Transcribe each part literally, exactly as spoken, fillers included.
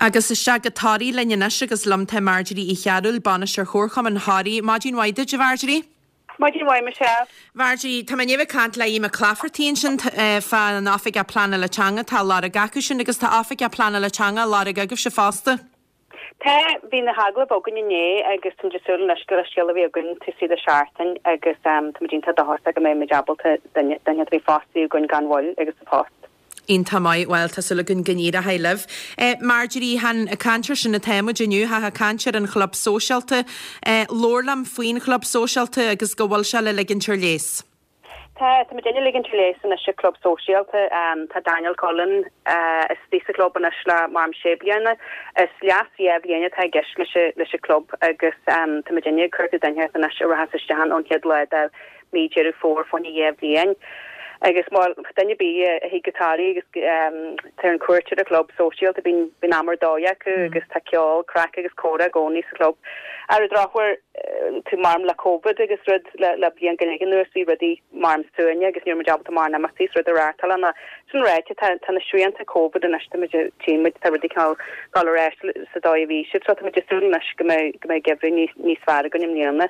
Agus isteach go Toraigh linn anois agus liom tá Marjorie Uí Chearúil, bainisteoir Chomharchumann Thoraí. Maidin mhaith duit, a Mharjorie. Maidin mhaith Michelle. Marjorie, tá mé ag caint le Mac Clafferty ansin fá an Oifigeach Pleanála Teanga tá lorg acu sin agus tá Oifigeach Pleanála Teanga lorg agaibhse fosta. Tá bhí na hagallaimh againn inné agus tá súil leis go scéal a bhí againn tú de seachtain agus um, tá iontach dóchasach go mbeidh ábalta duine bhí fostaí againn gan mhoill agus sa post. Iontach maith well tá súil againn go n-éireoidh libh. Eh, Marjorie han ag caint air sin atá muid inniu ha ag caint ar an chlub sóisialta eh, labhair liom faoin chlub sóisialta agus go bhfuil sé le ligint ar léas. Tá tá déine ligint léas anois an club sóisialta um, tá Daniel Cullen uh, istigh sa club anois le mar sé bliana is léas dhá bhliain atá gceist leis leis an club agus um, tá déine chuir duine anois a rachas isteach ón chéad lá de mí Deireadh Fómhair fá choinne dhá bhliain. agus má duine bí a hí gotáí agus um, tar an cuairt ar an club sóisialta bíonn bíonn am ar dóigh acu mm. agus tá ceol craic agus comhrá i gcónaí sa club. Ar drochuair tú mar le COVID agus rud le, le bliain go leith anuas bhí rudaí mar suaine agus níor ábalta mar imeachtaí rud a reáchtáil na sin réite tá na srianta COVID anois tímid tá rudaí ag dul ar ais sa dóigh a bhí siad so tá súil anois go mbeidh go mbeidh geimhreadh níos níos fearr againn i mbliana.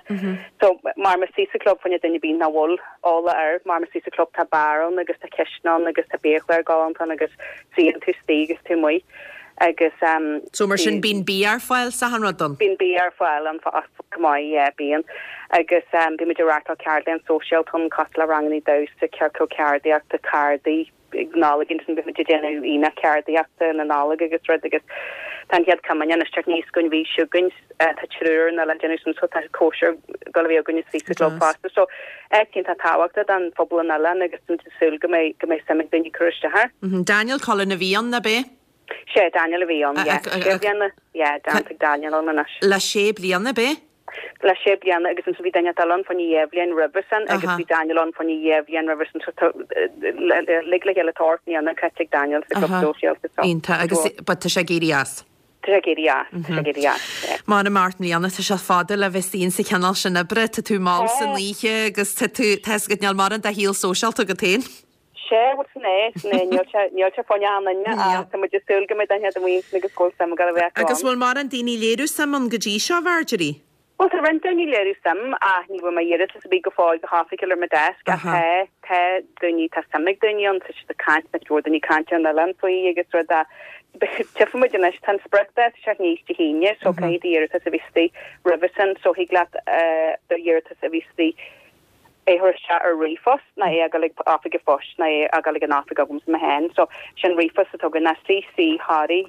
So mar mar istigh sa club fá choinne duine bí nach bhfuil eolas air mar mar istigh sa club tá bar ann agus tá cistin ann agus tá biachlár galánta agus suíonn tú istigh agus tú amuigh agus um, So mar sin bíonn bia ar fáil sa an rud don? Bíonn bia ar fáil an go maith bíonn agus um, bímid ag reáchtáil ceardlann sóisialta cosúil le ranganna damhsa ciorcal ceardaíochta cárdaí Nollag san bímid ag déanamh aonach ceardaíochta na Nollag agus rud agus tá an chéad comaine isteach níos gon bhí siúgain tá triúr na le déanamh sin so tá cóisir go bhí againn istigh sa club fosta so iontach tábhachtach don phobal an oileáin agus súil go mbeidh go mbeidh suim ag daoine cur isteach. Daniel Cullen a bhí ann ab ea? Sé Daniel a bhí ann Dan Daniel ann anois. Le sé bliana ab ea? Le sé bliana agus an bhí Daniel ann fá choinne dhá bhliain roimhe sin agus bhí Daniel ann fá choinne dhá bhliain roimhe sin le le chéile tá bliana caite ag Daniel sa club sóisialta. Iontach agus ba tá sé ag éirí as. Tá ag éirí as Mar a Mart mbliana tá sé fada le bheith sa chineál sin oibre, tá tú mall san oíche agus tá tú go níl mar an de shaol sóisialta agat féin. Sé é níl fá tá mu súil go mbeidh agus go sem go bheith. Agus bhfuil mar an daoine léiriú suim ann go dtí seo Marjorie? Well tá roinnt daoine léiriú suim a ní bhfuil mé iarratas bí go fóill go hoifigiúil ar mo desk a tá tá daoine tá suim ag daoine ann tá siad ag caint na daoine caint an oileán faoi agus rud a Tifmuid anois tan spriocdháta sé níos Dé hAoine so caithfidh d'iarratas a bheith istigh roimhe sin so thig leat do iarratas a bheith istigh é chur isteach ar ríomhphost ná é a ghabháil ag oifig an phoist ná é a ghabháil ag an oifig agam mé féin so sin ríomhphost atá againn ná cc Thoraí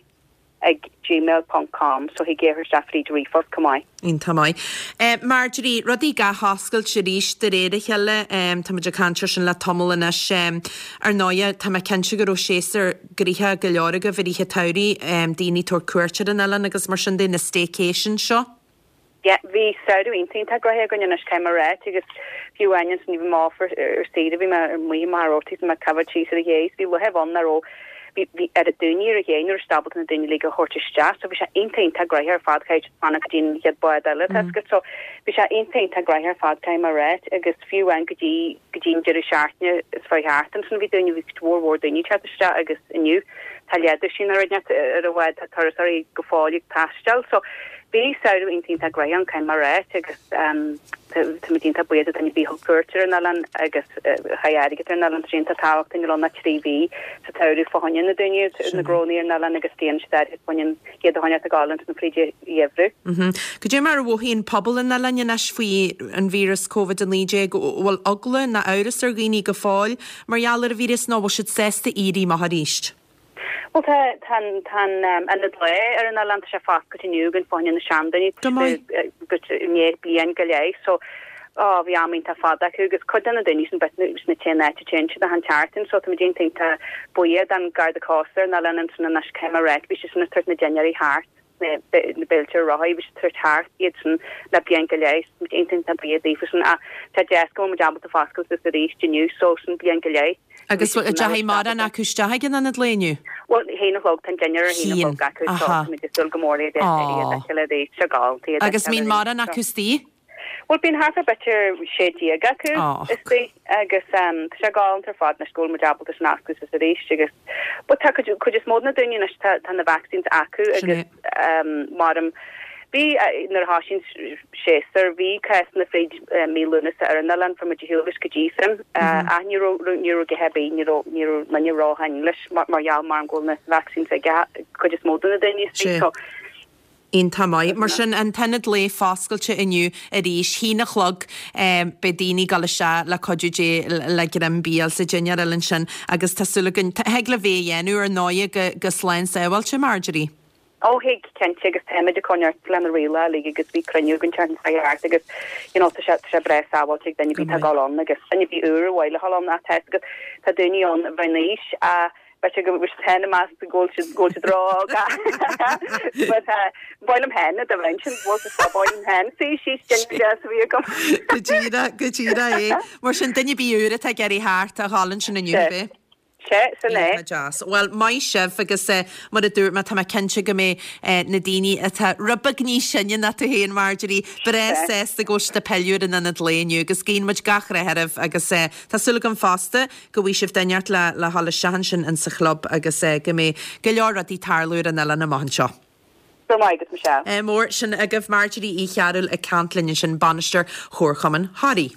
ag gmail.com so thig é isteach fríd ríomhphost chomh maith. Iontach maith. Eh, Marjorie, rudaí ag oscailt arís de réir a chéile um, Tá muid ag caint air sin le tamall anois um, ar ndóigh tá mé cinnte go raibh séasúr gnoitheach go leor agaibh i rith an tsamhraidh um, daoine tabhairt cuairt ar an oileán agus mar sin de na staycation seo. Ja, bhí samhradh iontach gnoitheach againn anois céim réit agus fiú aine ní bh máfar ar saoire bhí mé mar rotí me cover cheese ar ghéis bhí le bhon na ro bhí ar a daoine ar a ghéin ar stabalt na daoine le go thuirt isteach, so bhí sé iontach gnoitheach ar fad chuid fanna go dtí chéad bád eile mm. so bhí sé iontach gnoitheach ar fad céim réit agus fiú an go dtí go dtí deireadh seachtaine is fa hartan san bhí daoine bhí mhór mhór daoine teacht isteach agus inniu tá leathdhuisín ar ar a bhfuil tá turasóirí go fóill ag taisteal so bhí samhradh iontach gnoitheach ann céim réit agus tá iontach buíoch do dhaoine bí thug cuairt ar an oileán agus chaith airgead ar an oileán sin tá tábhacht in na trí mhí sa tsamhradh fá choinne na daoine na gcónaí ar an oileán agus déan siad fá choinne iad a choinneáil ag gabháil na fríd gheimhreadh. Cad é mar a mhothaíonn pobal an oileáin anois faoi an víreas COVID a naoi déag bhfuil eagla ná amhras ar dhaoine go fóill mar gheall ar an víreas nó bhfuil siad sásta éirí amach arís. Well tá tan tan an le ar an oileán sé foscailte inniu againn fá choinne na seandaoine go né bliain go leith so á bhí am iontach fada acu agus cuid de na daoine sin bet na té net té de han teartain so tá iontach buíoch don Garda Cósta na lean san na céim réit bhí sin tabhairt na dinnéirí thart na béilí reatha bhí tabhairt thart iad sin le bliain go leith iontach buíoch daofa sin a tá deas go mbeidh ábalta foscailt is arís inniu so sin bliain go leith. Agus dechaigh mar an acu isteach an ionad lae inniu? Well haon a chlog tan dinnéar a haon a chlog acu so dul go mór le Agus mbíonn mar an acu istigh? Bhuel bíonn thart ar b'fhéidir sé déag acu istigh agus tá sé galánta ar fad anois go bhfuil muid ábalta sin a oscailt suas arís agus but tá cuid cuid is mó de na daoine anois tá tá na vaccines acu agus maram bhí nuair a thosaigh an séasúr bhí cásanna fríd mí Lúnasa ar an oileán fuair muid ar shiúl leis go dtí sin ach ní raibh ní raibh go hebí ní raibh ní raibh ní raibh leis mar mar gheall mar go bhfuil na vaccines ag cuid is mó de na daoine istigh so Iontach maith. Mar sin, an t-ionad lae foscailte inniu arís, haon a chlog, beidh daoine ag dul isteach le cuidiú Dé le greim bia sa dinnéar eile ansin agus tá súil againn, thig libh é a dhéanamh ar ndóigh go, go slán sábháilte, Marjorie. Ó thig, cinnte, agus táimid ag coinneáil le na rialacha uilig agus bhí cruinniú againn an tseachtain seo thart agus you know tá sé, tá sé breá sábháilte ag duine ar bith atá ag dul ann agus duine ar bith úr ar mhaith leo a dhul ann ach tá a fhios agat tá daoine ann a bheith in aois a B'fhéidir go bhfuil siad féin ag meas go bhfuil siad go bhfuil siad ró-óg but ba mhaith liom féin dá mbeinn sin bhfuil siad ba mhaith liom féin suí síos duine deas a bhí agam. Go díreach, go díreach é. Mar sin duine ar bith úr atá ag iarraidh theacht a dhul ansin inniu, Sea. ab é? Sea, sin é. Iontach deas. Bhuel, maith sibh agus mar a dúirt mé, tá mé cinnte go mbeidh na daoine atá rud beag níos sine ná tú féin, Marjorie, breá sásta go bhfuil siad ag pilleadh ar an ionad lae inniu agus guíonn muid gach rath oraibh agus tá súil agam fosta go bhfaighidh sibh duine inteacht le le dhul isteach ansin insa chlub agus go mbeidh go leor rudaí ag tarlú ar an oileán amach anseo. Go raibh maith agat, Michelle. Mór sin agaibh Marjorie Uí Chearúil ag caint linn ansin, bainisteoir Chomharchumann Thoraí.